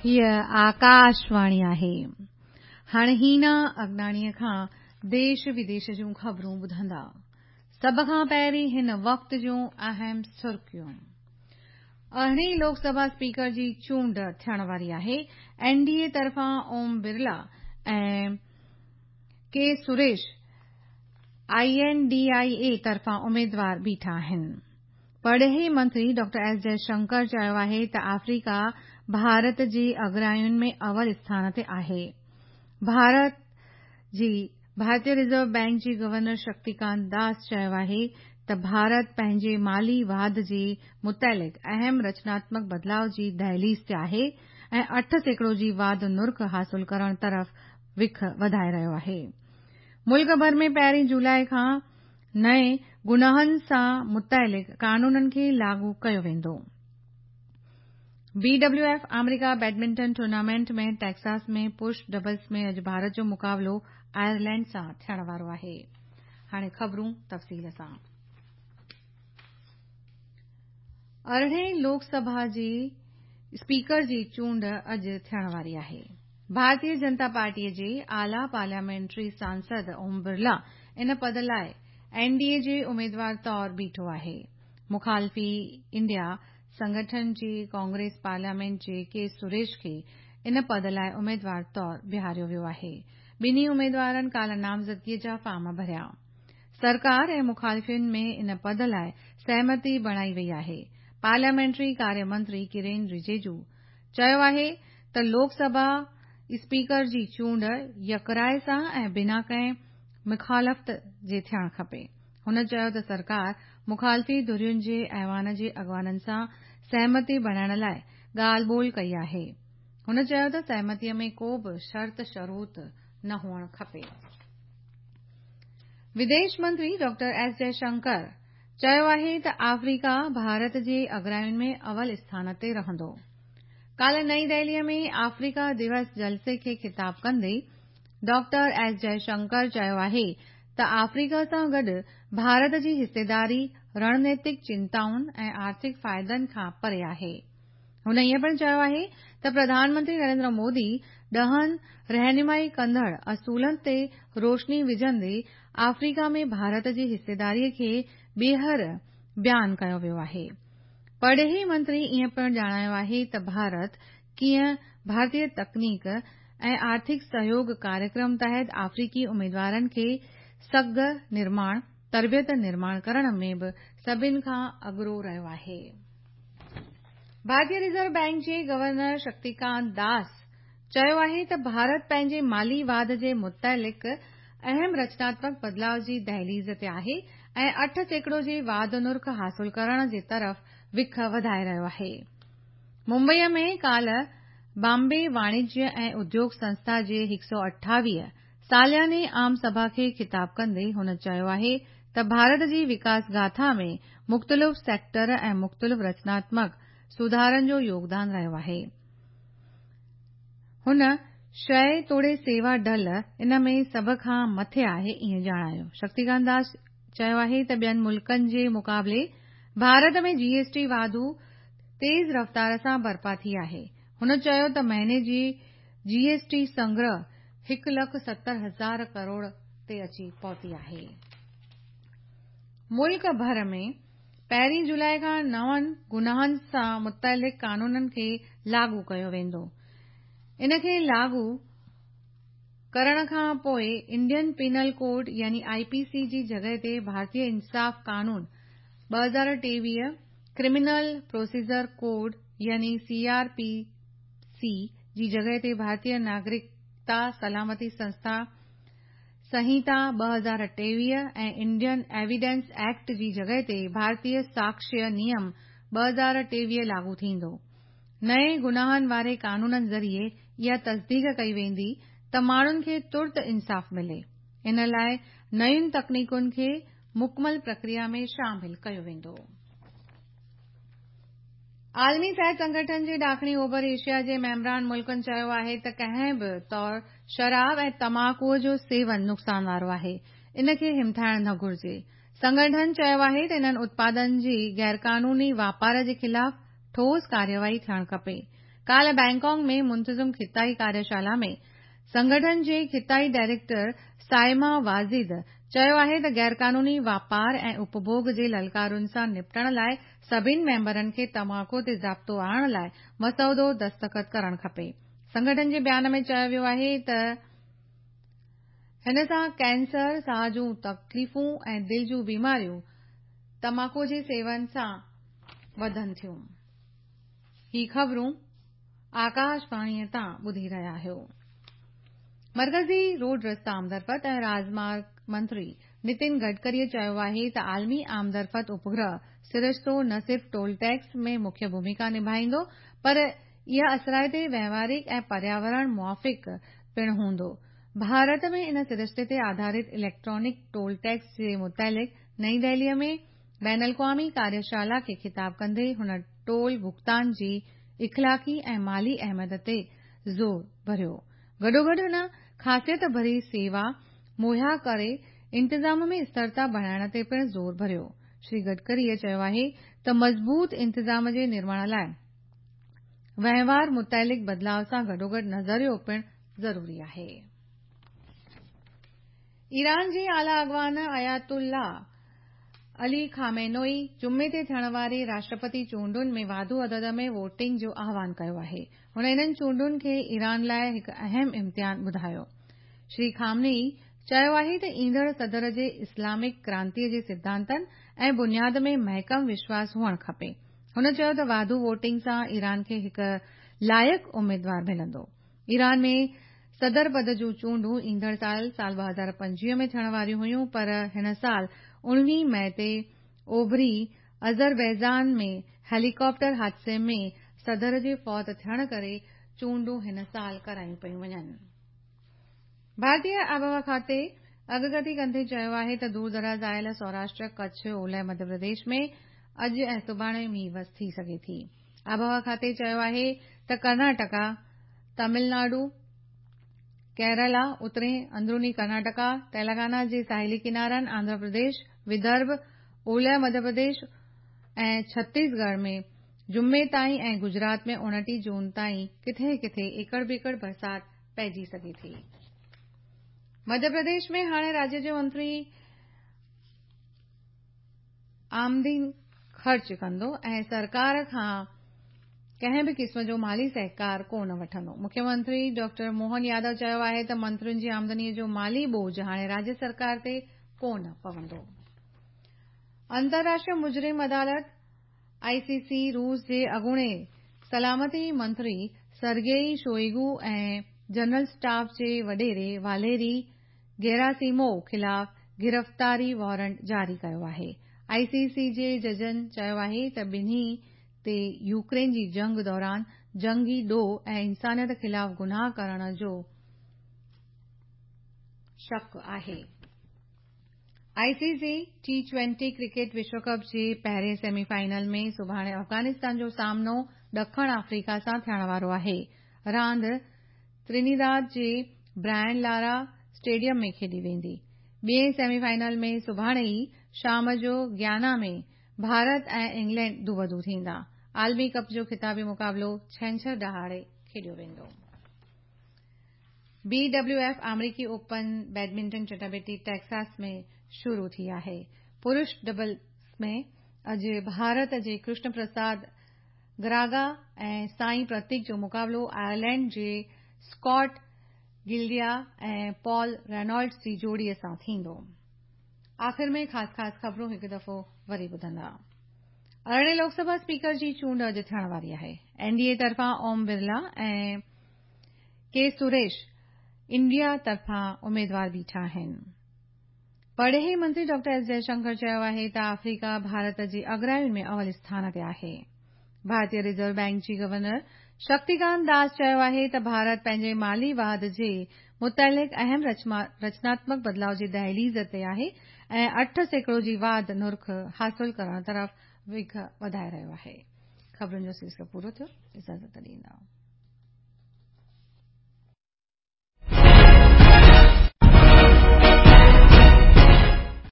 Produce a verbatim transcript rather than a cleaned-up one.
هيء آڪاشواڻي آهي. هاڻي هينا اگناڻيءَ کان ديش وديش جون خبرون ٻڌندا. سڀ کان پهرين هن وقت جون اهم سرخيون. ارڙهين لوڪ سڀا اسپيڪر جي چونڊ ٿيڻ واري آهي. اين ڊي اي طرفان Om Birla ۽ K Suresh I N D I A طرفان اميدوار بيٺا آهن. پرڏيهي منتري ڊاڪٽر ايس جئشنڪر چيو آهي ته آفريڪا ڀارت جي اڳراين ۾ اول اسٿان تي آهي. ڀارت جي ڀارتيه رزرو بئنڪ جي گورنر شڪتيڪانت داس چيو آهي ته ڀارت پنهنجي مالي واڌ جي متعلق اهم رچناتمڪ بدلاءُ جي دهليز تي آهي ۽ اٺ سيڪڙو جي واڌ نرخ حاصل ڪرڻ طرف وک وڌائي رهيو آهي. ملڪ ڀر ۾ پهرين جولاءِ کان نئين گناهن سان متعلق قانونن کي لاڳو ڪيو ويندو. بي ڊبليو ايف آمريڪا بيڊمنٽن ٽورنامينٽ ۾ ٽيڪساس ۾ پرش ڊبلز ۾ اڄ ڀارت جو مقابلو آئرلينڊ سان ٿيڻ وارو آهي. هاڻي خبرون تفصيل سان. ارڙهين لوڪ سڀا جي اسپيڪر جي چونڊ اڄ ٿيڻ واري آهي. ڀارتيه جنتا پارٽيءَ جي اعليٰ پارليامينٽري سانسد اوم برلا ان پد لاءِ اين ڊي اي جي اميدوار طور بيٺو آهي. مخالفي انڊيا سنگٺن جي ڪانگريس پارليامينٽ جي ڪي سريش کي ان پد لاءِ اميدوار طور بيهاريو ويو آهي. ٻنهي اميدوارن ڪالهه نامزدگيءَ جا فارم ڀريا. سرڪار ۽ مخالفين ۾ ان پد لاءِ سهمتي بڻائي وئي آهي. پارليامينٽري ڪاريه منتري ڪرين رجيجو چيو آهي ته لوڪ سڀا اسپيڪر جي چونڊ يڪراءِ سان ۽ بنا ڪنهن مخالفت جي ٿيڻ کپي. هن چيو ته سرڪار مخالفي ڌرين جي ايوان جي اڳواڻن سان سهمتي بڻائڻ لاءِ ڳالهه ٻولهه ڪئي آهي. هن چيو ته سهمتيءَ ۾ ڪو به شرط شروط نه هئڻ کپي. وديش منتري ڊاڪٽر ايس جئشنڪر چيو آهي ته آفريڪا ڀارت جي اڳراين ۾ اول اسٿان تي رهندو. ڪالهه نئين دهليءَ ۾ آفريڪا دوس جلسي کي خطاب ڪندي ڊاڪٽر ايس جئشنڪر چيو آهي ته آفريڪا سان گڏ ڀارت جي حصيداري رڻنيتڪ چنتائن ۽ آرٿڪ فائدن کان پري آهي. هن ائين پڻ چيو آهي ته پرڌان منتري نريندر مودي ڏهن رهنمائي ڪندڙ اصولن تي روشني وجهندي آفريڪا ۾ ڀارت جي حصيداريءَ کي ٻيهر بيان ڪيو ويو آهي. پرڏيهي منتري ائين پڻ ڄاڻايو آهي ته ڀارت ڪيئن ڀارتيه تڪنيڪ ۽ آرٿڪ سهيوگ ڪاريڪرم تحت آفريڪي اميدوارن کي سگهه نرماڻ، تربيت نرماڻ ڪرڻ ۾ به سڀني کان اڳرو رهيو آهي. ڀارتيه رزرو بئنڪ جي گورنر شڪتيڪانت داس چيو آهي ته ڀارت پنهنجي مالي واڌ جي متعلق اهم رچناتمڪ بدلاءُ جي دهليز تي آهي ۽ اٺ سيڪڙو جي واڌ نرخ حاصل ڪرڻ جي طرف وک وڌائي رهيو آهي. ممبئيءَ ۾ ڪالهه بامبي واڻجيه ۽ اديوگ سنسٿا جي هڪ سؤ اٺاويهه سالياني عام سڀا کي خطاب ڪندي هن چيو آهي ته ڀارت جي وڪاس گاٿا ۾ مختلف سيڪٽر ۽ مختلف رچناتمڪ سڌارن جو يوگدان رهيو آهي. هن شيءِ توڙي سيوا ڍل ان ۾ سڀ کان مٿي آهي ائين ڄاڻايو. شڪتيڪانت داس چيو آهي ته ٻين ملڪن جي مقابلي ڀارت ۾ جي ايس ٽي واڌو تيز رفتار سان برپا ٿي آهي. هن چيو ته مهيني جي جي ايس ٽي سنگرهه هڪ لک ستر هزار ڪروڙ تي اچي پهتي آهي. ملڪ ڀر ۾ پهرين جولاءِ کان نون گناهن سان متعلق قانونن کي لاڳو ڪيو ويندو. ان کي لاڳو ڪرڻ کان پوءِ انڊين پينل ڪوڊ يعني I P سي جي جڳهه تي ڀارتيه انصاف قانون ٻه هزار ٽيويهه، ڪرمنل پروسيجر ڪوڊ يعني سي آر پي سي جي جڳهه تي ڀارتيه ناگرڪتا سلامتي سنسٿا سنهتا ٻه هزار ٽيويهه ۽ انڊين ايويڊنس ايڪٽ جي جڳهه تي ڀارتيه ساڪشيه نيم ٻه هزار ٽيويهه لاڳو ٿيندو. نئين گناهن واري قانونن ذريعي اها تصديق ڪئي ويندي ته ماڻهن کي ترت انصاف ملي. ان لاءِ نين تڪنيڪن کي مڪمل پرڪريا ۾ شامل ڪيو ويندو. عالمي صحت سنگٺن جي ڏاکڻي اوڀر ايشيا جي ميمبران ملڪن چيو آهي ته ڪنهن به طور شراب ۽ تماڪوءَ جو سيون نقصان وارو آهي، ان کي همٿائڻ نه گهرجي. سنگٺن چيو آهي ته انهن اتپادن جي غيرقانوني واپار جي خلاف ٺوس ڪارروائي ٿيڻ کپي. ڪالهه بينڪاڪ ۾ منتظم خطائي ڪاريشالا ۾ سنگٺن جي خطائي ڊائريڪٽر سائما واجد چيو آهي ته غيرقانوني واپار ۽ اپڀوڳ جي للڪارن سان نپٽڻ لاءِ سڀني ميمبرن کي تماڪو تي ضابطو آڻڻ لاءِ مسودو دستخط ڪرڻ کپي. سنگٺن جي بيان ۾ چيو ويو آهي ته هن سان ڪينسر، ساهه جون تڪليفون ۽ دل جون بيماريون تماڪو جي سيون سان وڌن ٿيون. هي خبرون آڪاشواڻيءَ تان ٻڌي رهيا آهيو. مرڪزي روڊ رستا آمدرفت ۽ راڄمارگ منتري نتن گڊڪريءَ چيو آهي ته عالمي آمدرفت اپگرهه سرشتو نه صرف ٽول ٽيڪس ۾ مکيه ڀوميڪا نڀائيندو پر اها اثرائتي، وهنوارڪ ۽ پرياورڻ موافق پڻ هوندو. ڀارت ۾ ان سرشتي تي آڌارت اليڪٽرانڪ ٽول ٽيڪس جي متعلق نئين دهليءَ ۾ بين الاقوامي ڪاريشالا کي خطاب ڪندي هن ٽول ڀگتان جي اخلاقي ۽ مالي اهميت تي زور ڀريو. گڏوگڏ هن خاصيت ڀري سيوا مهيا ڪري انتظام ۾ اسٿرتا بڻائڻ تي پڻ زور ڀريو. شري گڊڪريءَ چيو آهي ته مضبوط انتظام جي نرماڻ لاءِ وهنوار متعلق بدلاءُ سان گڏوگڏ نظريو پڻ ضروري آهي. ايران جي اعليٰ اڳواڻ آيت الله علي خامنائي جمعي تي ٿيڻ واري راشٽرپتي چونڊن ۾ واڌو عدد ۾ ووٽنگ جو آهوان ڪيو آهي. هن انهن چونڊن کي ايران لاءِ هڪ اهم امتحان ٻڌايو. شري خامنائي چيو آهي ته ايندڙ صدر جي اسلامڪ ڪرانتيءَ جي سڌانتن ۽ بنياد ۾ محڪم وشواس هئڻ کپي. هن چيو ته واڌو ووٽنگ سان ايران کي هڪ لائق اميدوار ملندو. ايران ۾ صدر پد جون چونڊون ايندڙ سال سال ٻه هزار پنجويهه ۾ ٿيڻ واريون هيون پر هن سال اڻويهه مئي تي اوڀري آذربائيجان ۾ هيليڪاپٽر حادثي ۾ صدر جي فوت ٿيڻ ڪري چونڊون هن سال ڪرايون پيون وڃن. ڀارتيه آبهوا کاتي اڳڪٿي ڪندي چيو آهي ته دور دراز آيل سوراشٽر، ڪڇ، اولهه مڌيه پرديش ۾ اڄ ۽ سڀاڻي مينهن وس ٿي سگهي ٿي. آبهوا کاتي چيو آهي ته ڪرناٽڪا، تامل ناڊو، ڪيرالا، اترين اندروني ڪرناٽڪا، تيلنگانا جي ساحلي ڪنارن، آنڌرا پرديش، ودرڀ، اولهه مڌيه پرديش ۽ ڇتيسڳڙهه ۾ جمعي تائين ۽ گجرات ۾ اڻٽيهه جون تائين ڪٿي ڪٿي ايڪڙ ٻيڪڙ برسات پئجي سگهي ٿي. مڌيه پرديش ۾ هاڻي راجيه جو منتري آمدني خرچ ڪندو ۽ سرڪار کان ڪنهن به قسم جو مالي سهڪار ڪونه وٺندو. مکيه منتري ڊاڪٽر موهن يادو چيو آهي ته منترين جي آمدنيءَ جو مالي ٻوجهه هاڻي راجيه سرڪار تي ڪونه پوندو. انترراشٽريه مجرم عدالت آئي سي سي روس جي اڳوڻي سلامتي منتري سرگيئي شوئيگو ۽ جنرل اسٽاف جي وڏيري واليري گيراسيموو خلاف گرفتاري وارنٽ جاري ڪيو آهي. آئي سي سي جي ججن چيو آهي ته ٻنهي تي يوڪرين جي جنگ دوران جنگي ڏوهه ۽ انسانيت خلاف گناهه ڪرڻ جو شڪ آهي. I C C T twenty cricket وشو ڪپ جي پهرين سيمي فائنل ۾ سڀاڻي افغانستان جو سامنو ڏکڻ آفريڪا سان ٿيڻ وارو آهي. راند ترنيداد جي برائن لارا اسٽيڊيم ۾ کيڏي ويندي. ٻئي سيمي فائنل ۾ سڀاڻي ئي شام جو گيانا ۾ ڀارت ۽ انگلينڊ دوبدو ٿيندا. عالمي ڪپ جو خطابي مقابلو ڇنڇر ڏهاڙي کيڏيو ويندو. بي ڊبليو ايف آمريڪي اوپن بيڊمنٽن چٽاڀيٽي ٽيڪساس ۾ شروع ٿي آهي. پرش ڊبلز ۾ اڄ ڀارت جي ڪرشن پرساد گراگا ۽ سائين پرتيڪ جو مقابلو آئرلينڊ جي اسڪاٽ گلڊيا ۽ پال رينالڊس جي جوڙيءَ سان ٿيندو. آخر ۾ خاص خاص خبرون هڪ دفعو وري ٻڌندا. ارڙهين لوڪ سڀا اسپيڪر جي چونڊ اڄ ٿيڻ واري آهي. اين ڊي اي طرفان اوم برلا ۽ ڪي سريش انڊيا طرفان اميدوار بيٺا آهن. پرڏيهي منتري ڊاڪٽر ايس جئشنڪر چيو آهي ته آفريڪا ڀارت جي اڳراين ۾ اول اسٿان تي آهي. ڀارتيه رزرو بينڪ جي گورنر شڪتيڪانت داس چيو آهي ته ڀارت پنهنجي مالي واڌ جي متعلق اهم رچناتمڪ بدلاءُ جي دهليز تي آهي ۽ اٺ سيڪڙو جي واڌ نرخ حاصل ڪرڻ طرف وک وڌائي رهيو آهي. خبرن جو سلسلو پورو ٿيو. اجازت ڏيندا.